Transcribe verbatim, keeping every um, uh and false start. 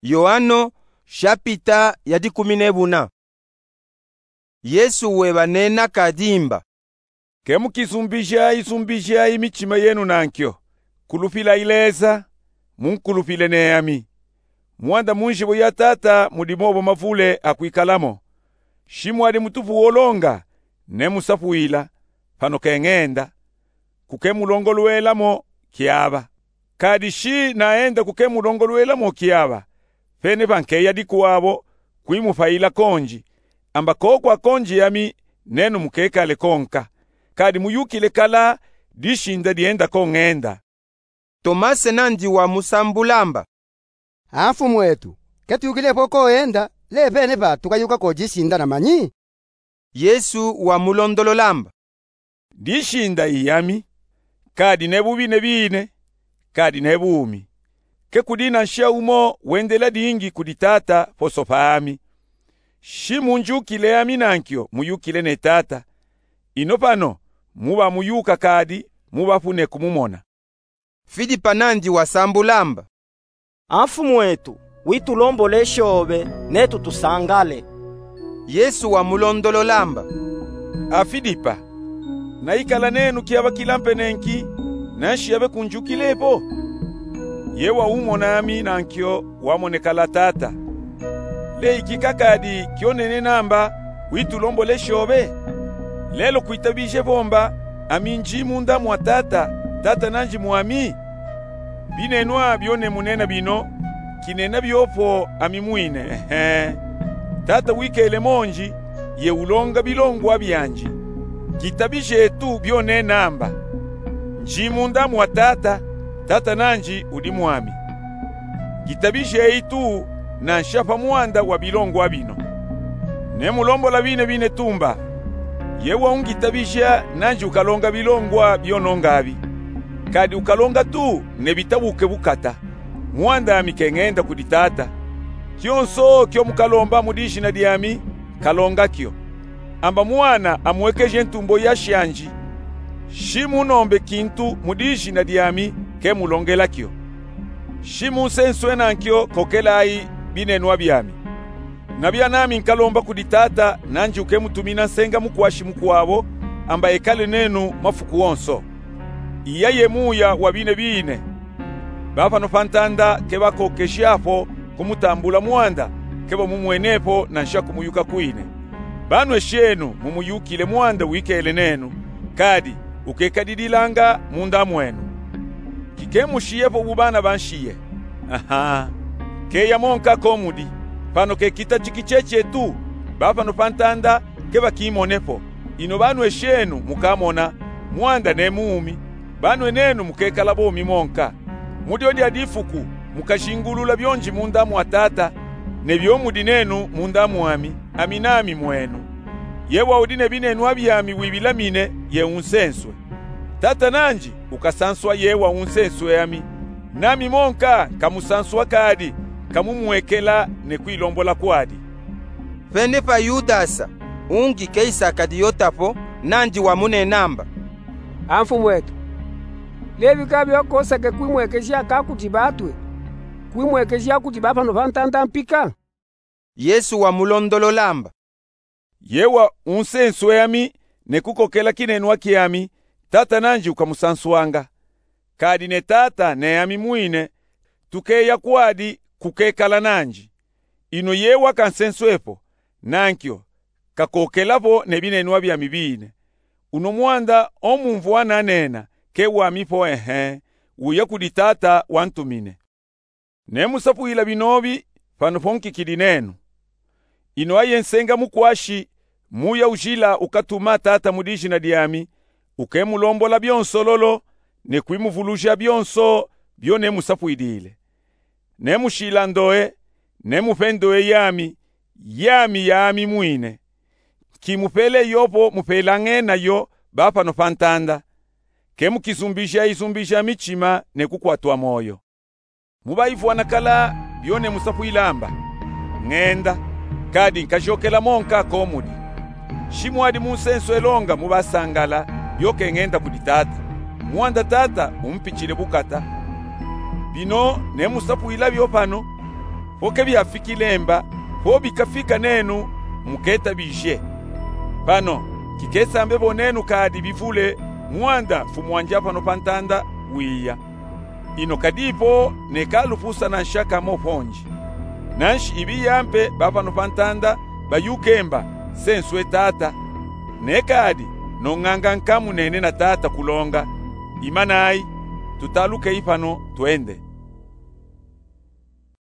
Yoano, shapita ya dikumi nebuna. Yesu webanena kadi mba: Ke mukizumbijayi zumbijayi mitima yenu nankyo, kulupilayi Leza, munkulupile ne ami. Mwanda mu nzibo ya Tata mudi mobo mavule a kwikala mo. Shi mwadi mutupu wolonga, nemusapwila, pano ke ngenda, ku ke mulongolwela mo kiaba. Kadi shi naenda ku ke mulongolwela mo kiaba, penepa nkeya dikwabo kwimupayila konji, amba koko akonji ami nenu mukekale konka, kadi muyukile kala dishinda dienda ko ngenda. Tomase nandi wamusambula mba: A Mfumwetu, ke tuyukile po ko enda, le penepa tukayuka ko dishinda na manyi? Yesu wamulondolola mba: Dishinda i ami, kadi ne bubi ne bine, kadi ne bumi. Ke kudi nansha umo wendela dingi kudi Tata poso pa ami. Shi munjukile ami nankyo muyukile ne Tata. Ino pano muba muyuka kadi mubapu ne kumumona. Filipa nandi wasambula mba: A Mfumwetu, witulombole shobe, netu tusangale. Yesu wamulondolola mba: A Filipa, naikala nenu kiaba kilampe nenki, nanshi abe kunjukile po? Ye waumona ami nankyo wamonekala Tata. Le ikika kadi kyo nenena mba, witulombole shobe? Lelo kwitabije vo mba ami nji munda mwa Tata, Tata nanji mwami? Binenwa byo nemunena bino, kinena byo po ami mwine, ehe. Tata wikele monji, ye ulonga bilongwa byanji. Kitabijeyi tu byo nena mba: Nji munda mwa Tata, Tata nanji udi mwami. Kitabijeyi tu nansha pa mwanda wa bilongwa bino. Nemulombola bine bine tu mba: Ye waungitabija nanji ukalonga bilongwa byo nonga abi. Kadi ukalonga tu nebitabuke bukata, mwanda ami ke ngenda kudi Tata. Kyonso kyo mukalomba mu dijina dyami, kalonga kyo, amba Mwana amwekeje ntumbo ya shanji. Shi munombe kintu mu dijina dyami, ke mulongela kyo. Shi munsenswe nankyo kokelayi binenwa byami. Nabya nami nkalomba kudi Tata, nanji uke mutumina nsenga mukwashi mukwabo, amba ekale nenu mafuku onso. Iya ye Muya wa bine bine. Ba pano pa ntanda ke bakokeja po kumutambula mwanda, ke bamumwene po nansha kumuyuka kwine. Banwe shenu mumuyukile mwanda wikele nenu, kadi ukekadililanga munda mwenu. Kike mushiye po bu bana banshiye. Aha. Keya monka ko mudi. Pano ke kitachiki cheche tu, ba pano pa ntanda ke bakimone po. Ino banwe shenu mukamona, mwanda ne muumi, banwe nenu mukekala bomi monka. Mu dyo dya difuku mukashingulula byo nji munda mwa Tata, ne byo mudi nenu munda mwami, ami nami mwenu. Ye waudi ne binenwa byami wibilamine, ye unsenswe. Tata nanji ukasanswa ye waunsenswe ami. Nami monka nkamusanswa kadi nkamumwekela ne kwilombola kwadi. Penepa Yudasa, ungi ke Iskariota po, nanji wamunena amba: A Mfumwetu, le bika byo kosake kwimwekeja ka kudi batwe, kwimwekeja kudi ba pano pa ntanda mpika? Yesu wamulondolola amba: Ye waunsenswe ami ne kukokela kinenwa kyami, Tata nanji ukamusanswanga. Kadi ne Tata ne ami mwine tukeya kwadi kukekala nanji. Ino ye wakansenswe po, nankyo kakokela po ne binenwa byami bine. Uno mwanda o mumvwa nanena ke wami po, ehe, uya kudi Tata wantumine. Nemusapwila binobi pano po nkikidi nenu. Ino aye nsenga mukwashi, Muya ujila ukatuma Tata mu dijina dyami, uke mulombola byonso lolo, ne kwimuvuluja byonso byo nemusapwilile. Nemushila ndoe, nemupe ndoe yami, yami ya ami mwine. Nkimupele yo po mupelangene yo ba pano pa ntanda. Ke mukizumbijayi zumbija michima ne kukwatwa moyo. Mubaivwana kala byo nemusapwila amba: Ngenda, kadi nkajokela monka ko mudi. Shi mwadi munsenswe longa mubasangala byo ke ngenda kudi Tata, mwanda Tata umpichile bukata. Bino nemusapwila byo pano, Vo ke biafikile mba, vo bikafika nenu, muketa bizye. Pano, kikesa mbe vo nenu kadi bivule mwanda Mfumu wandi pano pa ntanda wiya. Ino kadipo neka lupusana nshaka mo ponji. Nanshi ibiya mpe ba pano pa ntanda bayuke mba, se nswe Tata. Nekadi, no nganga nkamu nene na Tata kulonga. Imanayi, tutalukeyi pano twende.